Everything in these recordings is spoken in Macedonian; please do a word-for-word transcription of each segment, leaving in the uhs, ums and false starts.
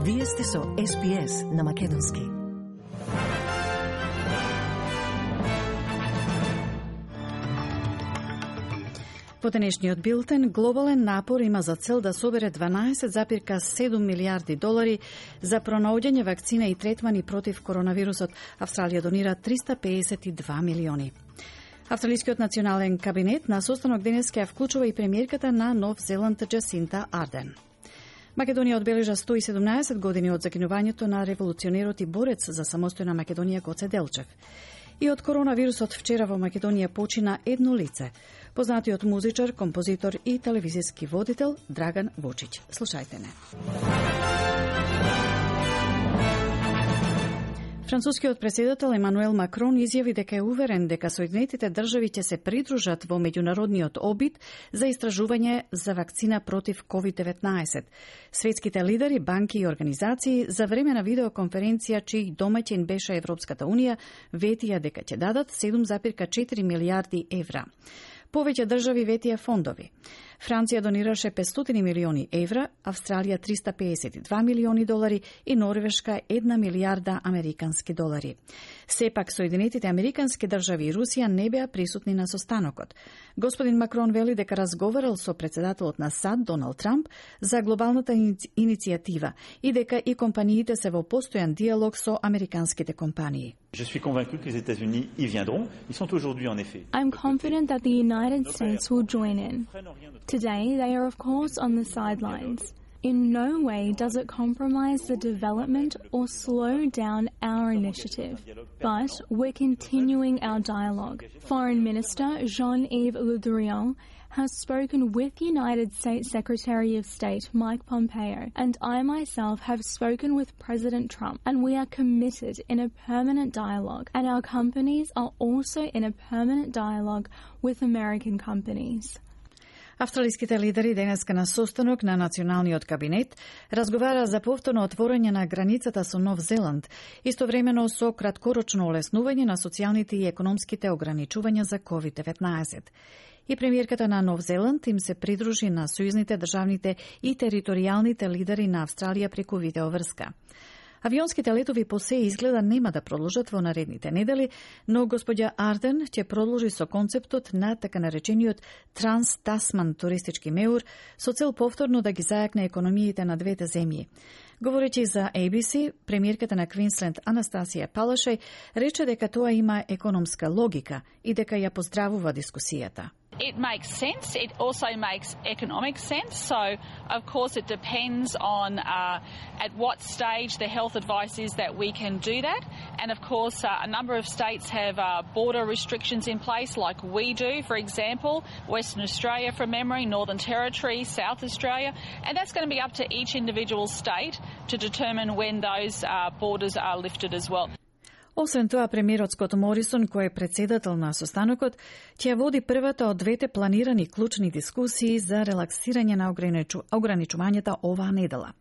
Вие сте со Ес Би Ес на Македонски. По денешниот билтен, глобален напор има за цел да собере дванаесет зарез седум милијарди долари за пронаоѓање вакцина и третмани против коронавирусот. Австралија донира триста пеесет и два милиони. Австралискиот национален кабинет на состанок денес ќе вклучува и премиерката на Нов Зеланд Джасинта Арден. Македонија одбележа сто и седумнаесет години од закинувањето на револуционерот и борец за самостојна Македонија Гоце Делчев. И од коронавирусот вчера во Македонија почина едно лице, познатиот музичар, композитор и телевизиски водител Драган Вучич. Слушајте не. Францускиот председател Емануел Макрон изјави дека е уверен дека Соединетите држави ќе се придружат во меѓународниот обид за истражување за вакцина против ковид деветнаесет. Светските лидери, банки и организации за време на видеоконференција чиј домаќин беше Европската унија ветија дека ќе дадат седум зарез четири милијарди евра. Повеќе држави ветија фондови. Франција донираше петстотини милиони евра, Австралија триста пеесет и два милиони долари и Норвешка една милијарда американски долари. Сепак, Соединетите американски држави и Русија не беа присутни на состанокот. Господин Макрон вели дека разговарал со председателот на САД Доналд Трамп за глобалната иницијатива и дека и компаниите се во постојан диалог со американските компании. Je suis convaincu que les États-Unis y viendront. Ils sont aujourd'hui en effet. I'm confident that the United States will join in. Today, they are of course on the sidelines. In no way does it compromise the development or slow down our initiative, but we're continuing our dialogue. Foreign Minister Jean-Yves Le Drian has spoken with United States Secretary of State Mike Pompeo, and I myself have spoken with President Trump, and we are committed in a permanent dialogue, and our companies are also in a permanent dialogue with American companies. Австралиските лидери денеска на состанок на националниот кабинет разговара за повторно отворање на границата со Нов Зеланд, истовремено со краткорочно олеснување на социјалните и економските ограничувања за ковид деветнаесет. И премиерката на Нов Зеланд им се придружи на сојузните, државните и територијалните лидери на Австралија преку видеоврска. Авионските летови по се изгледа нема да продолжат во наредните недели, но господја Арден ќе продолжи со концептот на така наречениот Транс-Тасман туристички меур со цел повторно да ги зајакне економиите на двете земји. Говорејќи за Ей Би Си, премиерката на Квинсленд Анастасија Палашај рече дека тоа има економска логика и дека ја поздравува дискусијата. It makes sense. It also makes economic sense. So, of course, it depends on uh, at what stage the health advice is that we can do that. And, of course, uh, a number of states have uh, border restrictions in place, like we do, for example, Western Australia from memory, Northern Territory, South Australia. And that's going to be up to each individual state to determine when those uh, borders are lifted as well. Освен тоа, премиерот Скот Морисон, кој е председател на состанокот, ќе води првата од двете планирани клучни дискусии за релаксирање на ограничу... ограничувањата оваа недела.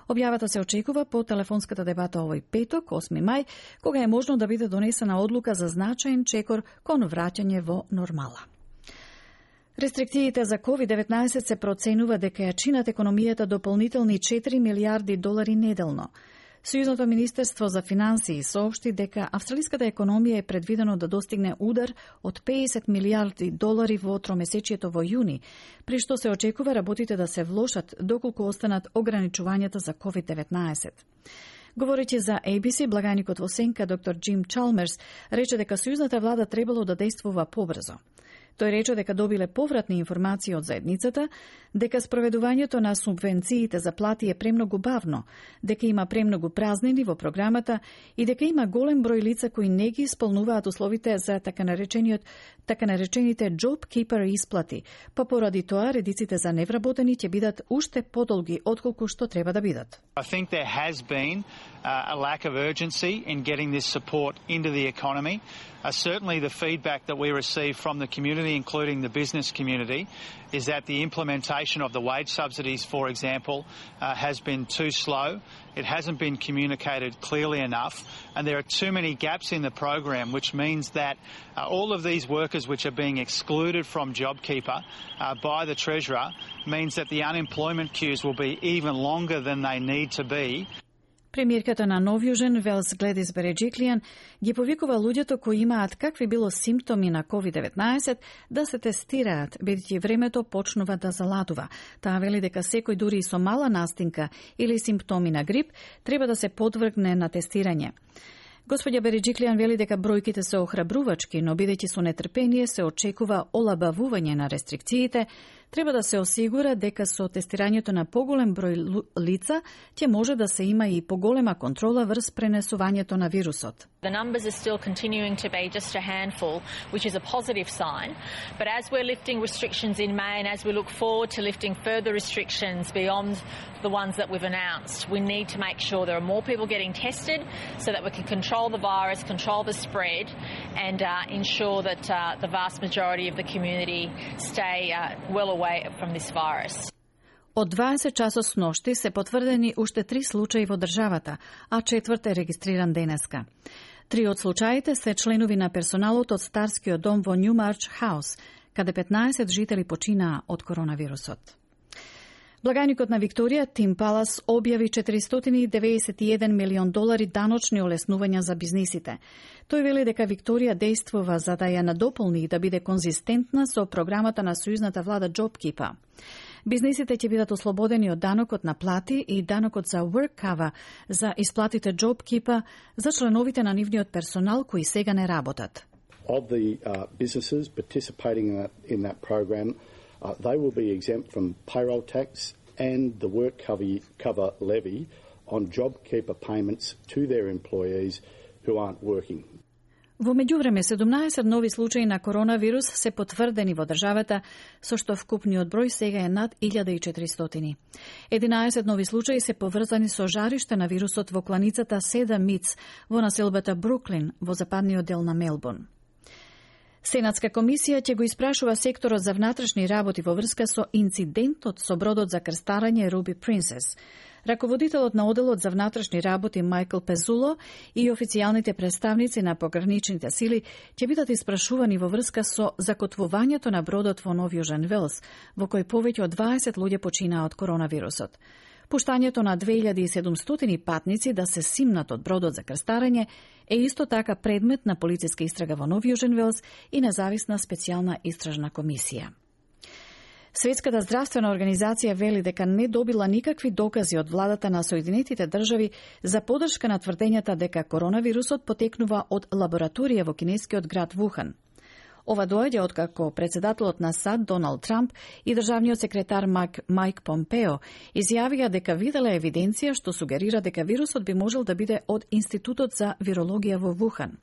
Објавата се очекува по телефонската дебата овој петок, осми мај, кога е можно да биде донесена одлука за значаен чекор кон враќање во нормала. Рестрикциите за ковид деветнаесет се проценува дека ја чинат економијата дополнителни четири милијарди долари неделно. Сојузното министерство за финансии соопшти дека австралиската економија е предвидено да достигне удар од пеесет милијарди долари во тромесечието во јуни, при што се очекува работите да се влошат доколку останат ограничувањата за ковид деветнаесет. Говорејќи за Ей Би Си, благаникот во сенка доктор Джим Чалмерс рече дека сојузната влада требало да действува побрзо. Тој рече дека добиле повратни информации од заедницата, дека спроведувањето на субвенциите за плати е премногу бавно, дека има премногу празнини во програмата и дека има голем број лица кои не ги исполнуваат условите за така наречениот така наречените job keeper исплати, па поради тоа редиците за невработени ќе бидат уште подолги отколку што треба да бидат. I think there has been uh, a lack of urgency in getting this support into the economy. Uh, certainly the feedback that we receive from the community, including the business community, is that the implementation of the wage subsidies, for example, uh, has been too slow. It hasn't been communicated clearly enough, and there are too many gaps in the program, which means that uh, all of these workers which are being excluded from JobKeeper uh, by the Treasurer means that the unemployment queues will be even longer than they need to be. Премиерката на Нов Јужен, Велс Гледис Береджиклијан, ги повикува луѓето кои имаат какви било симптоми на ковид деветнаесет да се тестираат, бидејќи времето почнува да заладува. Таа вели дека секој дури и со мала настинка или симптоми на грип треба да се подвргне на тестирање. Господја Береджиклијан вели дека бројките се охрабрувачки, но бидејќи со нетрпение се очекува олабавување на рестрикциите, треба да се осигура дека со тестирањето на поголем број лица ќе може да се има и поголема контрола врз пренесувањето на вирусот. The numbers are still continuing to be just a handful, which is a positive sign. But as we're lifting restrictions in May and as we look forward to lifting further restrictions beyond the ones that we've announced, we need to make sure there are more people getting tested so that we can control the virus, control the spread, and uh, ensure that uh, the vast majority of the community stay uh, well away from this virus. Од дваесет часот сношти се потврдени уште три случаи во државата, а четврт е регистриран денеска. Три од случаите се членови на персоналот од Старскиот дом во Нјумарч Хаус, каде петнаесет жители починаа од коронавирусот. Благајникот на Викторија, Тим Палас, објави четиристотини и деветдесет и еден милион долари даночни олеснувања за бизнисите. Тој вели дека Викторија действува за да ја надополни и да биде конзистентна со програмата на сојузната влада JobKeeper. Бизнисите ќе бидат ослободени од данокот на плати и данокот за WorkCover за исплатите JobKeeper за членовите на нивниот персонал кои сега не работат. Of the uh, businesses participating in that, in that program, uh, they will be exempt from payroll tax and the WorkCover cover levy on JobKeeper payments to their employees who aren't working. Во меѓувреме, седумнаесет нови случаи на коронавирус се потврдени во државата, со што вкупниот број сега е над илјада и четиристотини. единаесет нови случаи се поврзани со жариште на вирусот во кланицата Седа Митс во населбата Бруклин во западниот дел на Мелбурн. Сенатска комисија ќе го испрашува секторот за внатрешни работи во врска со инцидентот со бродот за крстарање Руби Принцес. Раководителот на оделот за внатрешни работи Мајкл Пезуло и официјалните представници на пограничните сили ќе бидат испрашувани во врска со закотвувањето на бродот во Нов Јужен Велс, во кој повеќе од дваесет луѓе починаа од коронавирусот. Пуштањето на две илјади и седумстотини патници да се симнат од бродот за крстарање е исто така предмет на полициска истрага во Нов Јужен Велс и независна специјална истражна комисија. Светската здравствена организација вели дека не добила никакви докази од владата на Соединетите држави за поддршка на тврдењата дека коронавирусот потекнува од лабораторија во кинескиот град Вухан. Ова доаѓа откако председателот на САД Доналд Трамп и државниот секретар Майк, Майк Помпео изјавија дека видела евиденција што сугерира дека вирусот би можел да биде од Институтот за вирологија во Вухан.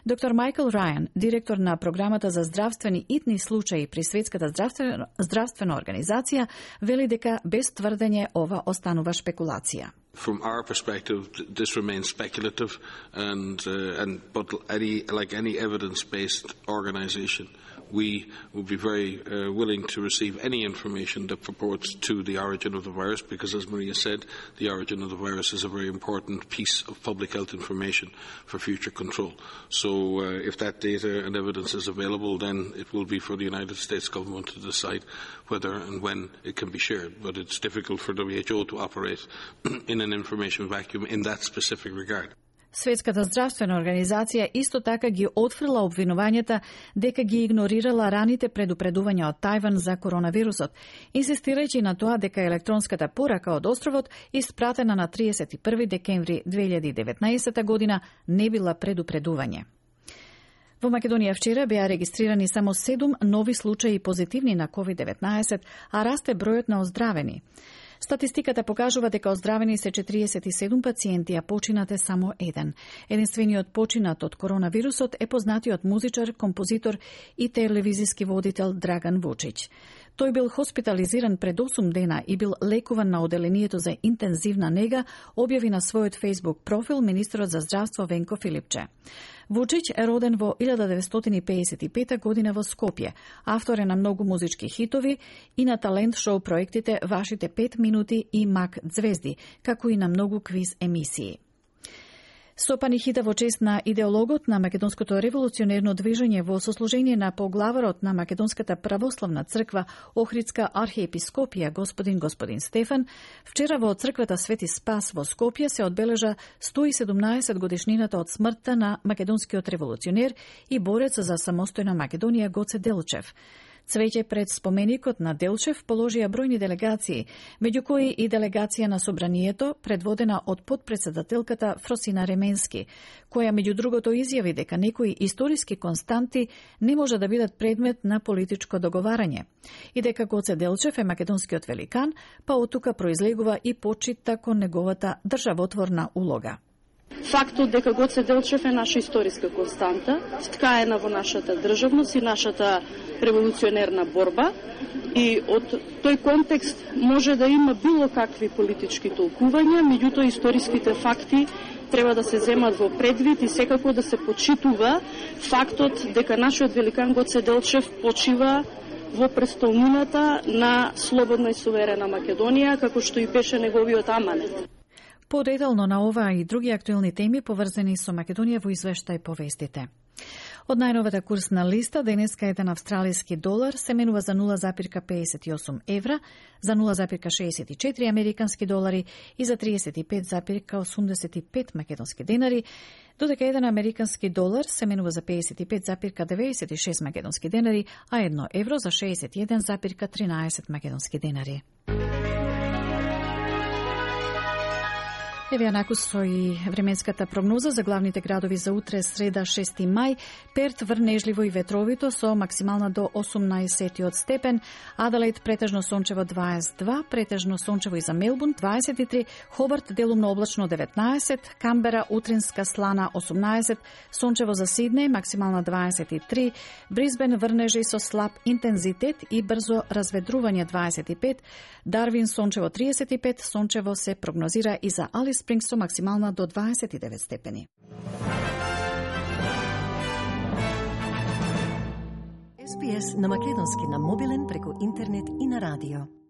Доктор Майкл Рајан, директор на програмата за здравствени итни случаи при Светската здравствена, здравствена организација, вели дека без тврдење ова останува шпекулација. From our perspective, this remains speculative, and uh, and but any like any evidence-based organisation, we would be very uh, willing to receive any information that purports to the origin of the virus, because, as Maria said, the origin of the virus is a very important piece of public health information for future control. So, uh, if that data and evidence is available, then it will be for the United States government to decide whether and when it can be shared. But it's difficult for W H O to operate in an information vacuum in that specific regard. Светската здравствена организација исто така ги отфрла обвинувањата дека ги игнорирала раните предупредувања од Тајван за коронавирусот, инсистирајќи на тоа дека електронската порака од островот, испратена на триесет и први декември две илјади и деветнаесета година, не била предупредување. Во Македонија вчера беа регистрирани само седум нови случаи позитивни на ковид деветнаесет, а расте бројот на оздравени. Статистиката покажува дека оздравени се четириесет и седум пациенти, а починат е само еден. Единствениот починат од коронавирусот е познатиот музичар, композитор и телевизиски водител Драган Вучич. Тој бил хоспитализиран пред осум дена и бил лекуван на оделението за интензивна нега, објави на својот Facebook профил министерот за здравство Венко Филипче. Вучич е роден во илјада деветстотини пеесет и пета година во Скопје. Автор е на многу музички хитови и на талент шоу проектите Вашите пет минути и Мак Звезди, како и на многу квиз емисии. Со панихида во чест на идеологот на македонското револуционерно движење во сослужение на поглаварот на Македонската православна црква Охридска архиепископија господин господин Стефан, вчера во црквата Свети Спас во Скопје се одбележа сто и седумнаесет годишнината од смртта на македонскиот револуционер и борец за самостојна Македонија Гоце Делчев. Цвеќе пред споменикот на Делчев положија бројни делегации, меѓу кои и делегација на Собранието, предводена од подпредседателката Фросина Ременски, која меѓу другото изјави дека некои историски константи не може да бидат предмет на политичко договарање и дека Гоце Делчев е македонскиот великан, па од тука произлегува и почита кон неговата државотворна улога. Фактот дека Гоце Делчев е наша историска константа, вткаена во нашата државност и нашата револуционерна борба, и од тој контекст може да има било какви политички толкувања, меѓутоа историските факти треба да се земат во предвид и секако да се почитува фактот дека нашиот великан Гоце Делчев почива во престолнината на слободна и суверена Македонија, како што и беше неговиот аманет. Подетално на ова и други актуелни теми поврзани со Македонија во извештај по вестите. Од најновата курсна листа, денеска еден австралиски долар се менува за нула запирка педесет и осум евра, за нула запирка шеесет и четири американски долари и за тридесет и пет запирка осумдесет и пет македонски денари, додека еден американски долар се менува за педесет и пет запирка деветдесет и шест македонски денари, а едно евро за шеесет и еден запирка тринаесет македонски денари. Еве накусо и временската прогноза за главните градови за утре, среда шести мај. Перт врнежливо и ветровито со максимална до осумнаесет степен, Аделаид претежно сончево дваесет и два, претежно сончево и за Мелбурн дваесет и три, Хобарт делумно облачно деветнаесет, Камбера утринска слана осумнаесет, сончево за Сиднеј максимална дваесет и три, Брисбен врнежи со слаб интензитет и брзо разведрување дваесет и пет, Дарвин сончево триесет и пет, сончево се прогнозира и за Алис Спрингс со максимална до дваесет и девет степени. Ес Би Ес на македонски на мобилен преку интернет и на радио.